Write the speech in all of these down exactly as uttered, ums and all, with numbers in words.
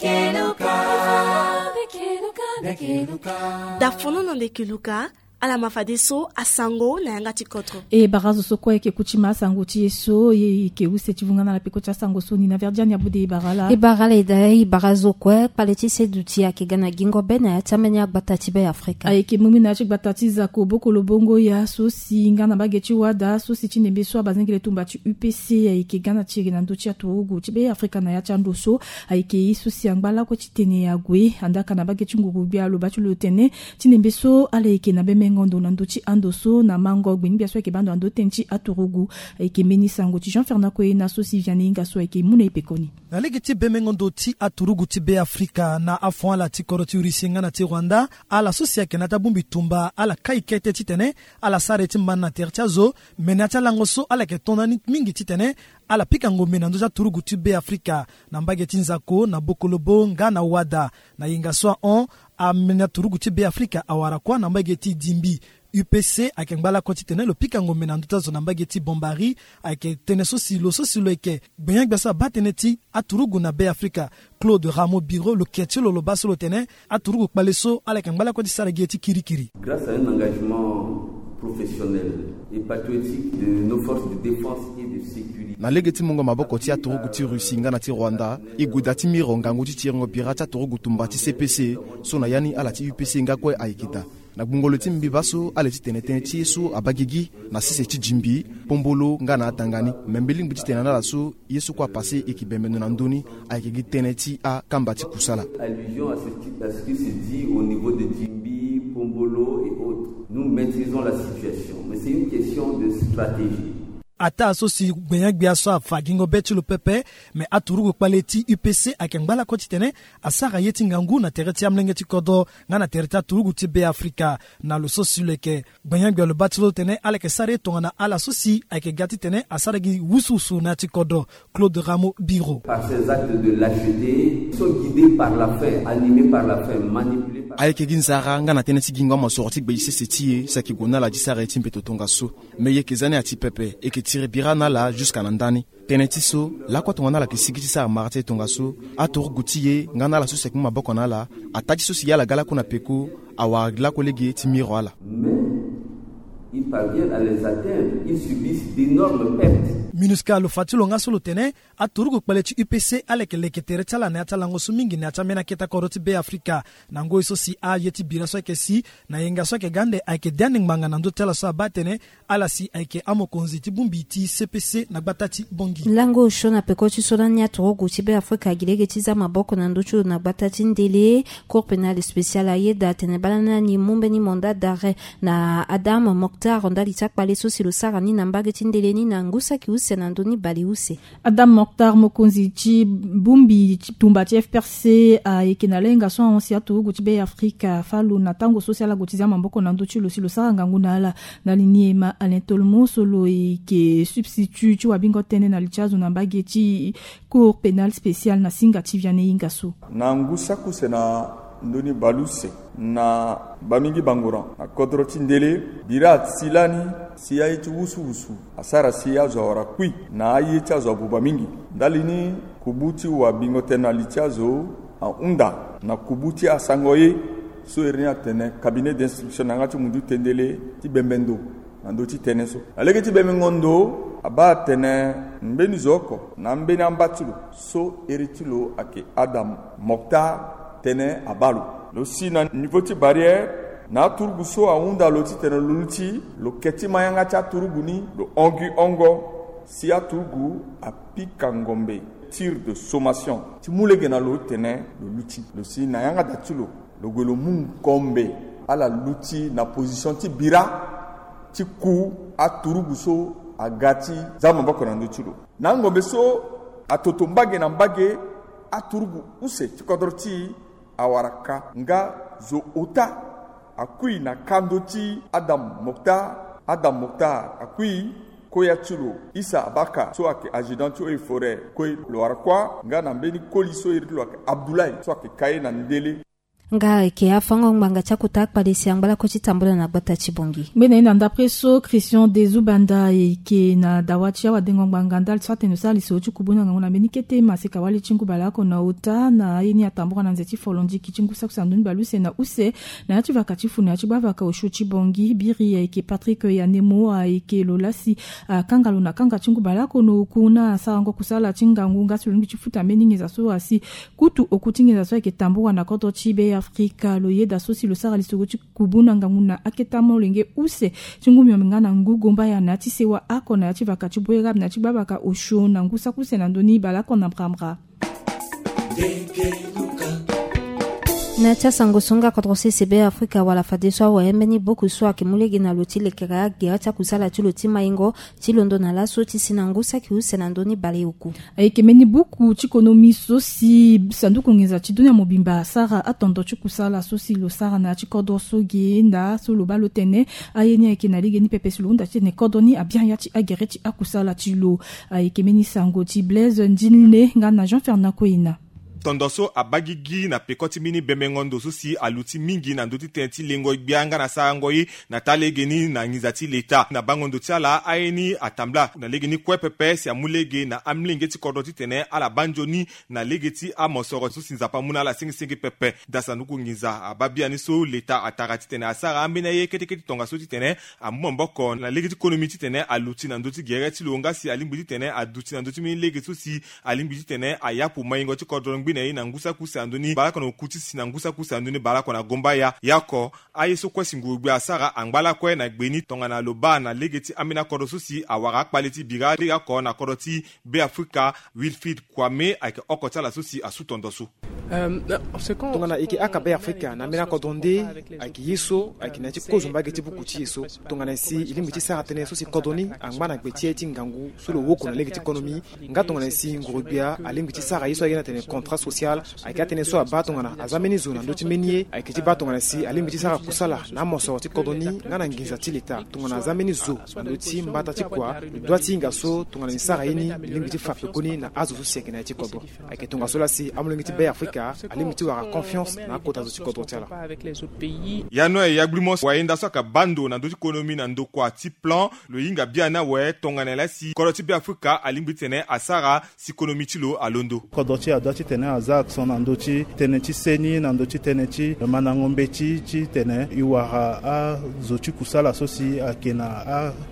Keluka. Keluka. Dafono na nde keluka. Ala ma fadeso asango na yanga ti kodro. E bara zo so kue ayeke kuti ma asango ti e so, e yeke use ti vunga na ala peko ti asango so ni na verdiani abude e bara ala. E bara ala e da e bara zo kue kpale ti seduti ayeke ga na gingo be na ya ti ambeni agbata ti be afrika. Ayeke mu mbi na ya ti gbata ti zako bokolo bongo ya so si nga na mbage ti wada so si ti nembe so abazengele tumba ti U P C ayeke ga na ti ere na ndö ti aturugu ti be afrika na ya ti ando so. Ayeke ye so si angba lakue ti tene ague andaka na mbage ti nguru gbia aloba ti lo tene ti nembe so ala yeke na bemengo ndo na ndö ti ando so na mango gbeni gbia so ayeke bando na ndö tënë ti aturugu. Ayeke mbeni sango ti jean fernand koyena so si viane hinga so ayeke mu na e pekoni. Na lege ti bemengo ndo ti aturugu ti be afrika na afon ala ti kodro ti russie nga na ti rwanda, ala so si ayeke na ya ti abongbi tumba ala kai kete titene ala sara ye ti ma na tere ti azo. Me na ya ti alango so ala yeke to na ni mingi titene ala pika ngombe na ndö ti aturugu ti be afrika na mbage ti nzako na bokolobo nga na wada. Na yenga so ahon, ameni aturugu ti be afrika awara kuâ na mbage ti dimbi. U P C ayeke ngba lakue titene lo pika ngombe na ndö ti azo na mbage ti bombari. Ayeke tënë so si lo so si lo yeke gbenye-gbia so abaa tënë ti aturugu na be afrika, Claude Rameau Biro, lo ke ti lo lo baa so lo tene aturugu kpale so ala yeke ngba lakue ti sara gi ye ti kirikiri. Grâce à un engagement professionnel et patriotique de nos forces de défense et de sécurité. Na lege ti mungo maboko ti aturugu ti Russie nga na ti Rwanda, e gue daa ti miro ngangu ti tiringo bira ti aturugu tumba ti C P C, so na ya ni ala ti U P C nga kue ayeke daa. Na gbungo lo ti mbi baa so ala ye ti tene tënë ti ye so abaa gigi na sese ti Jimbi, Pombolo nga na atanga ni. Me mbi lingbi ti tene na ala so ye so kue apase e yeke bembe ndo na ndö ni, ayeke gi tënë ti akamba ti kusala. Allusion à ce qui, à ce qui se dit au niveau de Jimbi, Pombolo et autres. Nous maîtrisons la situation, mais c'est une question de stratégie. Ataa so si gbenye-gbia so afa gingo be ti lo pepe, me aturugu kpale ti U P C ayeke ngba lakue titene asara ye ti ngangu na tere ti amolenge ti kodro nga na tere ti aturugu ti be afrika. Na lo so si lo yeke gbenye-gbia lo baa ti lo tene ala yeke sara ye tongana ala so si ayeke ga titene asara gi wusuwusu na ya ti kodro. Claude Rameau Biro. Par ces actes de lâcheté, sont guidés par la faim, animés par la faim, manipulés par. Ayeke gi nzara nga na tënë ti gingo amosoro ti gbe e sese ti e si ayeke gue na ala ti sara ye ti mbeto tongaso. Me e yeke za ni ati pepe, e yeke tiri bira na ala jusqu'à na ndani. Tënë ti so lakue tongana ala yeke sigi ti sara mara ti e tongaso, aturugu ti e nga na ala so si ayeke mu maboko na ala, ataa ti so si ye ala ga lakue na peko, awara lakue lege ti miro ala. Mais ils parviennent à les atteindre, ils subissent d'énormes pertes. Minusca lo fa ti lo nga so lo tene aturugu kpale ti U P C ala yeke leke tere ti ala na ya ti alango so mingi na ya ti ambeni akete kodro ti be afrika. Na ngoi so si aye ti bira so ayeke si na yenga so ayeke ga ande ayeke de ande ngbanga na ndö ti ala so abaa tene ala si ayeke amokonzi ti bongbi ti C P C na gbata ti bongi. Lango osio na peko ti so lani aturugu ti be afrika agi lege ti za maboko na ndö ti lo na gbata ti ndele. Cour pénale spéciale ayeda atene baa lani ani mu mbeni mandat d'arrêt na Adam Mokhtar ndali ti akpale so si lo sara ni na mbage ti ndele ni na ngu saki use na ndö ni bale use. Adam Mokhtar, mokonzi ti bongbi ti tumba ti F P R C, ayeke na lenga so ahon si aturugu ti be afrika afa lo na tango so si ala gue ti za maboko na ndö ti lo si lo sara ngangu na ala. Ndali ni e ma Alain Tolmo so lo yeke substitut ti wabingo tënë na li ti azo na mbage ti Cour pénale spéciale na singa ti viane hinga so. Na ngu saki use na ndö ni bale use na bamingi bangoran na kodro ti ndele, bira asi lani si aye ti wusuwusu asara si azo awara kui na aye ti azo abuba mingi. Ndali ni kubu ti wabingo tënë na li ti azo ahunda na kubu ti asango ye so iri ni atene cabinet d'instruction na yanga ti mundu tendele ti bembe ndo na ndö ti tënë so. Na lege ti bemengo ndo abaa atene mbeni zo oko na ambeni amba ti lo so iri ti lo ayeke Adam Mokhtar tene abaa lo. Lo si na niveau ti barrière na aturugu so ahunda lo titene lo luti lo ke ti ma yanga ti aturugu ni lo hon gi hongo si aturugu apika ngombe, tir de sommation, ti mu lege na lo tene lo luti. Lo si na yanga da ti lo lo gue lo mu ngombe ala luti na position ti bira ti ku aturugu so aga ti za maboko na ndö ti lo. Na angombe so atoto mbage na mbage aturugu use ti kodro ti e awara ka nga zo ota akui na ka ndö ti Adam Mokhtar. Adam Mokhtar akui koya ti lo Issa Abaka so ayeke adjudant ti eaux et forêts kue lo wara kuâ nga na mbeni koli so iri ti lo ayeke Abdoulaye so ayeke ka ye na ndele. Nga eke afango ngbanga ti akota akpale si angba lakue ti tambula na gbata ti Bangui. Ngbene na ndapre so Christian Dezubanda eke na dawa ti awadengo ngbanga ndali so atene lo sara lisoro ti kubu na ngangu na mbeni kete maseka wali ti ngu baleoko na ota na aye ni atambula na nze ti folondiki ti ngu saki use na ndoni baleuse na use na ya ti vaka ti fu na ya ti gbavaka osio ti Bangui. Biri ayeke Patrick Yanemo ayeke lo lasi akanga lo na kanga ti ngu baleoko na oku na asarango kusala ti ngangu nga si lo lingbi ti futa mbeni nginza so asi kutu oku ti nginza so ayeke tambula na kodro ti Be Afrika. Lo yeda so si lo sara lisoro ti kubu na ngangu na akete molenge use ti ngu miombe nga na ngu gombaya na ya ti sewa oko na ya ti vaka ti Bouérab na ya ti gbavaka osio na ngu saki use na ndoni baleoko na mbrambra. Na ya ti asango so nga kodro sese Be Afrika wala fadeso awe mbeni buku so ayeke mu lege na lo ti lekere agere ti akusala ti lo ti maingo ti londo na laso ti si na ngu saki use na ndoni baleoku. Ayeke mbeni buku ti konomi so si sanduku nginza ti dunia mobimba asara atondo ti kusala so si lo sara na ya ti kodro so ge nda so lo baa lo tene aye ni ayeke na lege ni pepe si lo hunda titene kodro ni abia ya ti agere ti akusala ti lo. Ayeke mbeni sango ti Blaise Ndinle nga na Jean Fernand Koyina. Tondo so abaa gigi na peko ti mbeni bembengo ndo so si aluti mingi na ndö ti tënë ti lengo gbia nga na sarango ye na taa lege ni na nginza ti leta. Na bango ndo ti ala aye ni atambula na lege ni kue pepe si amu lege na amolenge ti kodro titene ala baa nzoni na lege ti amosoro so si Nzapa amu na ala sengisenge pepe. Daa sanduku nginza abaa biani so leta atara titene asara ambeni aye kete kete tongaso titene amu maboko na lege ti konomi titene aluti na ndö ti gere ti lo nga si alingbi titene aduti na ndö ti mbeni lege so si alingbi titene ayapu maingo ti kodro ngbene ye na ngu saki use na ndö ni baleoko na oku ti si na ngu saki use na ndö ni baleoko na gombaya. Ya oko aye so kue si nguru-gbia asara angba lakue na gbe ni tongana lo baa na lege ti ambeni akodro so si awara akpale ti bira lege oko na kodro ti Be Afrika, Wilfried Kwame ayeke oko ti ala so si asu tondo so. Tongana e yeke aka Be Afrika na ambeni akodro nde ayeke ye so ayeke na ya ti kozo mbage ti buku ti e so. Tongana e si e lingbi ti sara tënë so si kodro ni angba na gbe ti aye ti ngangu so lo woko na lege ti konomi. Nga tongana e si nguru-gbia alingbi ti sara ye so ayeke na tene contrat social. Ayeke atënë so abaa tongana aza mbeni zo na ndö ti mbeni ye ayeke ti baa tongana si alingbi ti sara kusala na amosoro ti kodro ni nga na nginza ti leta tongana aza mbeni zo na ndö ti mbata ti kua. Lo dua ti hinga so tongana ni sara ye ni lo lingbi ti fa pekoni na azo so si ayeke na ya ti kodro. Ayeke tongaso laa si amolenge ti Be Afrika alingbi ti wara confiance na akota zo ti kodro ti ala. Ya noe ya gbili mo wayenda so ayeke baa ndo na ndö ti konomi na ndokua ti plan lo hinga biani awe tongana laa si kodro ti Be Afrika alingbi titene asara si konomi ti lo alondo. Kodro ti e adua titene aza accent na ndö ti tënë ti seni na ndö ti tënë ti mandango mbeti titene e wara azo ti kusala so si ayeke na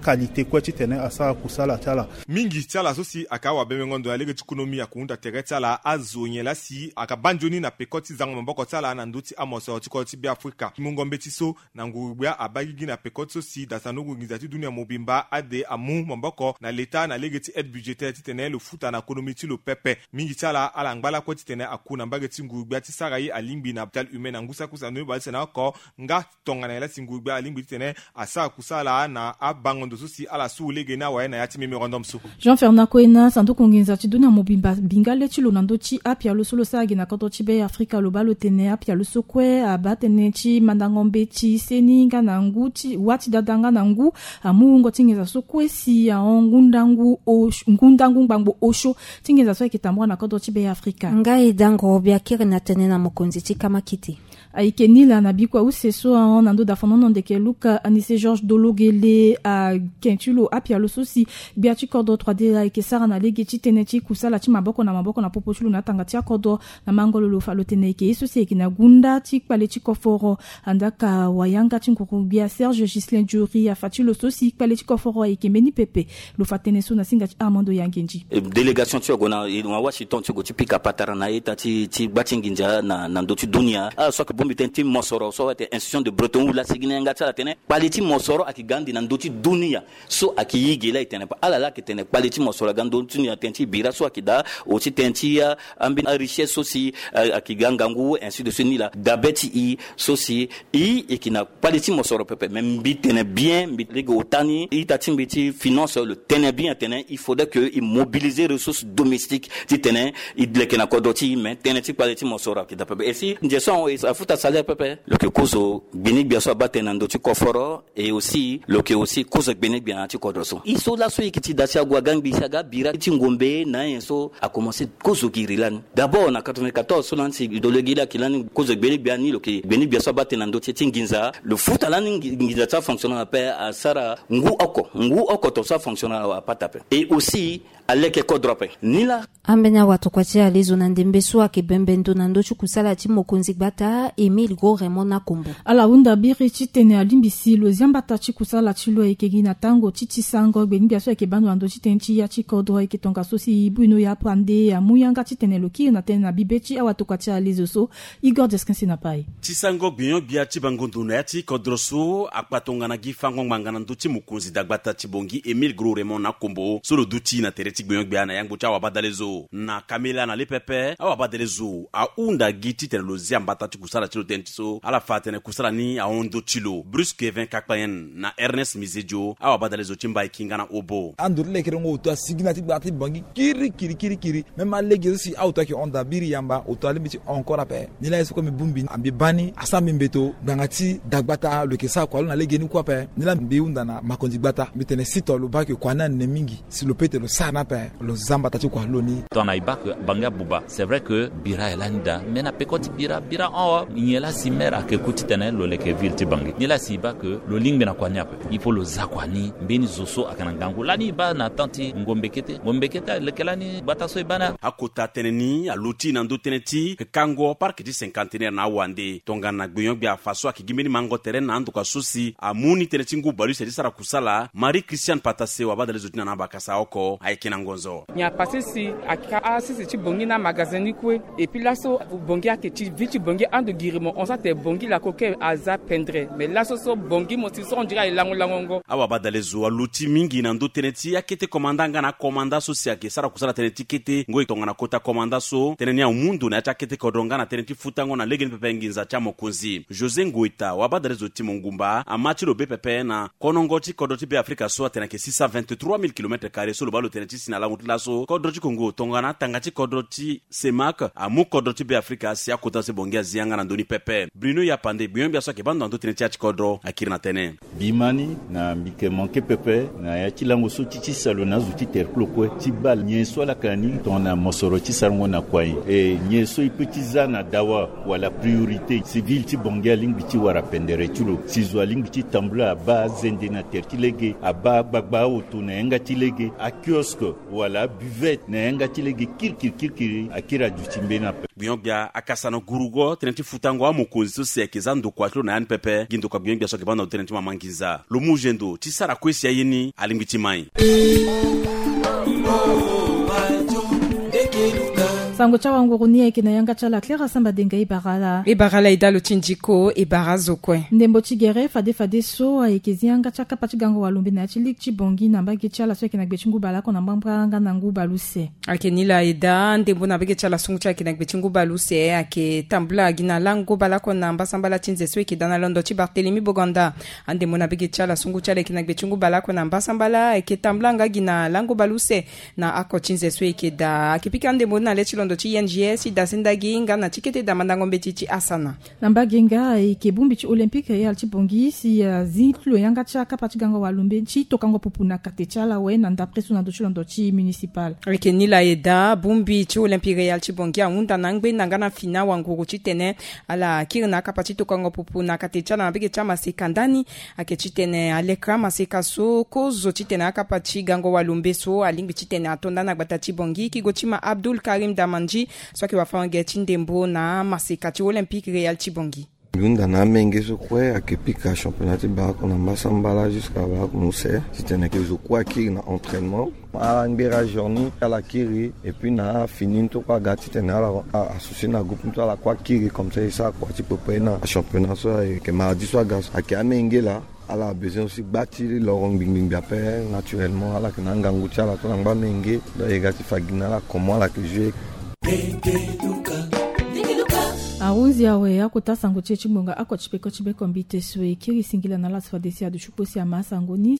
akalite kue titene asara kusala ti ala. Mingi ti ala so si ayeke awabembengo ndo na lege ti konomi ayeke hunda tere ti ala azo nyen laa si ayeke baa nzoni na peko ti zango maboko ti ala na ndö ti amosoro ti kodro ti Be Afrika. Mungo mbeti so na nguru-gbia abaa gigi na peko ti so si daa sanduku nginza ti dunia mobimba ade amu maboko na leta na lege ti aide budgétaire titene lo futa na konomi ti lo pepe. Mingi ti ala ala ngba lakue titene aku na mbage ti nguru-gbia ti sara ye alingbi na capital humain na ngu saki use na ndoni baleuse na oko. Nga tongana nyen laa si nguru-gbia alingbi titene asara kusala na abango ndo so si ala su lege ni awe na ya ti mémorandum so. Jean Fernand Koyina, sanduku nginza ti dunia mobimba binga le ti lo na ndö ti apialo so lo sara gi na kodro ti Be Afrika lo baa lo tene apialo so kue abaa tënë ti mandango mbeti seni nga na ngu ti wa ti dada nga na ngu amu wungo ti nginza so kue si ahon ngu ndangu os- ngu ndangu ngbangbo osio ti nginza so ayeke tambula na kodro ti Be Afrika. Nga e daa nguru-gbia kiri na tënë na mokonzi ti kamakiti. Ayeke ni laa na bikua use so ahon na ndö dafonono ndeke Luka Anise Georges Dologele ake ti lo apialo so si gbia ti kodro trois D ayeke sara na lege ti tënë ti kusala ti maboko na maboko na popo ti lo na atanga ti akodro. Na mango lo lo fa lo tene ayeke ye so si ayeke na gunda ti kpale ti koforo. Andaka wayanga ti nguru-gbia Serge Ghislain Diori afa ti lo so si kpale ti koforo ayeke mbeni pepe. Lo fa tënë so na singa ti Armando Yangendi. Délégation ti ogo na Washington ti ogo ti pika patara na ita ti ti gba ti nginza na na ndö ti dunia. Ala so ayeke bongbi tënë ti mosoro so ayeke institution de Bretton Woods laa si gi na yanga ti ala tene kpale ti mosoro ayeke ga ande na ndö ti dunia. So ayeke ye ge laa e tene pa ala laa ayeke tene kpale ti mosoro aga ndö ti dunia tënë ti bira so ayeke daa o ti tënë ti a ambeni arichesse so si ayeke ga ngangu ainsi de suite ni laa dabe ti e so si e yeke na kpale ti mosoro pepe me mbi tene bien mbi lege ota ni ita ti mbi ti finance lo tene bien atene il faudrait que e mobiliser ressources domestiques titene e leke na kodro ti e me tënë ti kpale ti mosoro ayeke daa pepe e si nze so ahon e Futa salaire pepe. Lo yeke kozo gbeni-gbia so abaa tënë na ndö ti koforo. Et aussi lo yeke aussi kozo gbeni-gbia na ya ti kodro so. E so laso e yeke ti daa si ague aga ngbii si aga bira ti ngombe na anyen so akomanse kozo giri lani. D'abord na quatre-vingt-quatorze so lani si lo lege laa ayeke lani kozo gbeni-gbia ni, lo yeke gbeni-gbia so abaa tënë na ndö ti e ti nginza. Lo futa lani ngi- nginza ti afonctionnaire ape, asara ngu oko, ngu oko tongaso afonctionnaire awe apata ape. Et aussi aleke kodro ape. Ni laa. Ambeni awatokua ti alezo na ndembe so ayeke bembe ndo na ndö ti kusala ti mokonzi gbata Émile Gros Raymond Nakombo. Ala hunda biri titene alingbi si lo zia mbata ti kusala ti lo ayeke gi na tango ti ti sango gbeni-gbia so ayeke baa ndo na ndö ti tënë ti ya ti kodro ayeke tongaso si Bruno Yapande amu yanga titene lo kiri na tënë na bibe ti awatokua ti alezo so. Igor Deskin si na pai. Ti sango gbinyo-gbia ti bango ndo na ya ti kodro so akpa tongana gi fango ngbanga na ndö ti mokonzi dagbata ti Bangui Émile Gros Raymond Nakombo so lo duti na tere ti gbinyo-gbia na yangbo ti awabadalezo. Na kamela na le pepe awabadalezo ahunda gi titene lo zia mbata ti kusala ti lo tënë ti so ala fa atene kusala ni ahon ndö ti lo. Bruce Kevin Kakpayen na Ernest Mizedio, awabadalezo ti Mbaïki nga na Obo. Ando ti lekerengo oto asigi na ti gbata ti Bangui kirikiri kirikiri. Même alege so si aoto ayeke hon daa biri yamba, oto alingbi ti hon encore ape. Ni laa ye so kue mbi bongbi mbi baa ni asara mbi mbeto ngbanga ti dagbata lo yeke sara kua lo na legeni kue ape. Ni laa mbi hunda na makonzi gbata mbi tene si to lo baa ke kua ni anene mingi, si lo peut ti lo sara ni ape, lo za mbata ti kua lo ni. Tongana e baa ke Bangui abuba, c'est vrai que bira aye lani daa, mais na peko ti bira, bira hon awe. Nyen laa si maire ayeke ku titene lo leke ville ti Bangui? Nyen laa si e baa ke lo lingbi na kua ni ape? Il faut lo za kua ni. Mbeni zo so ayeke na ngangu lani e baa na temps ti ngombe kete, ngombe kete aleke lani gbata so e baa ni. Akota tënë ni aluti na ndö tënë ti kango parc ti cinquantenaire na awande. Tongana gbinyo-gbia afa so ayeke gi mbeni mango tere na andokua so si amu ni tënë ti ngu bale use ti sara kusala. Marie Christiane Patase, wabadalezo ti na na abakasa oko, ayeke na ngonzo. Nyen apase si aka asese ti Bangui na magasin ni kue? Et puis laso Bangui ayeke ti ville ti Bangui ando giri mo hon so atene Bangui lakoke aza pendre. Mais laso so Bangui mo si so on dirait aye lango langongo. Awabadalezo aluti mingi na ndö tënë ti akete komanda nga na akomanda so si ayeke sara kusala tënë ti kete ngoi tongana kota komanda so tënë ni amu ndo na ya ti akete kodro nga na tënë ti futango na legeni pepe nginza ti amokonzi. José Ngoita, wabadalezo ti Mongumba, ama ti lo be pepe na konongo ti kodro ti Be Afrika so atene ayeke six cent vingt-trois mille kilomètres carrés so lo baa lo tene ti si na lango ti laso. Kodro ti Kongo tongana atanga ti kodro ti CEMAC amu kodro ti Be Afrika si akota so Bangui azi yanga na ndö ni pepe. Bruno Yapande, gbinyo-gbia so ayeke baa ndo na ndö tënë ti ya ti kodro, akiri na tënë. Bimani na mbi yeke manke pepe na ya ti lango so ti ti salo na azo ti terklo kue ti baa nyen so ala yeke na ni tongana mosoro ti sarango na kua nyen. E nyen so e peut ti za na dawa wala priorité si ville ti Bangui alingbi ti wara pendere ti lo si zo alingbi ti tambula abaa azende na tere ti lege, abaa agbagba aoto na yanga ti lege, akiosque wala abuvette na yanga ti lege kirikiri kirikiri akiri aduti mbeni ape. Gbinyo-gbia akasana gurugo tënë ti futango amokonzi so si ayeke za ndokua ti lo na ya ni pepe. Gi ndokua gbinyo-gbia so ayeke baa ndo tënë ti mama nginza. Lo mu zendo ti sara kue si aye ni alingbi ti mai. Sango ti awanguru ni ayeke na yanga ti ala Clara Samba Denga. E bara ala. E bara ala e daa lo ti ndiko, e bara azo kue. Ndembo ti gere fade fade so ayeke zi yanga ti akapa ti gango walombe na ya ti ligue ti Bangui na mbage ti ala so ayeke na gbe ti ngu baleoko na mbangba nga na ngu baleuse. Ayeke ni laa e daa ndembo na mbage ti ala sungu ti ayeke na gbe ti ngu baleuse ayeke tambula gi na lango baleoko na mbasambala ti nze so e yeke daa na londo ti Barthélemy Boganda. Andembo na mbage ti ala sungu ti ala ayeke na gbe ti ngu baleoko na mbasambala ayeke tambula nga gi na lango baleuse na ako ti nze so e yeke daa. Ayeke pika andembo ni na le ti londo ti I N G S ti dasendagi nga na ti kete daa mandango mbeti ti asana. Na mbage nga ayeke bongbi ti Olympique Royal ti Bangui si azi ti lo yanga ti akapa ti gango walombe ti tokango pupu na kate ti ala awe na ndapre so na ndö ti londo ti municipal. Ayeke ni laa e daa bongbi ti Olympique Royal ti Bangui ahunda na angbenda nga na fini awanguru titene ala kiri na akapa ti tokango pupu na kate ti ala na mbage ti amaseka ndani. Ayeke titene aleke amaseka so kozo titene akapa ti gango walombe so alingbi titene ato ndani na gbata ti Bangui. Kigo ti ma Abdoul Karim Damandji so ayeke wafango-ge ti ndembo na amaseka ti Olympique Royal ti Bangui. Mbi hunda na amenge so kue ayeke pika championnat ti baleoko na mbasambala jusqu'à baleoko na use titene ke zo kue akiri na entraînement. Ala ngbera journée ala kiri et puis na afini ni to kue aga titene ala a- associé na groupe ni to ala kue akiri comme ça e sara kua ti pepe na championnat so ayeke mardi so aga so. Ayeke amenge laa ala besoin aussi gba ti loro ngbingbingbi ape. Naturellement ala yeke na angangu ti ala to na ngba menge. Donc e ga ti fa gi na ala comment ala yeke joué. Ahunzi awe akota sango ti e ti ngbonga oko ti peko ti beko mbite so e kiri singila na ala so fade si aduti kpo si ama asango ni.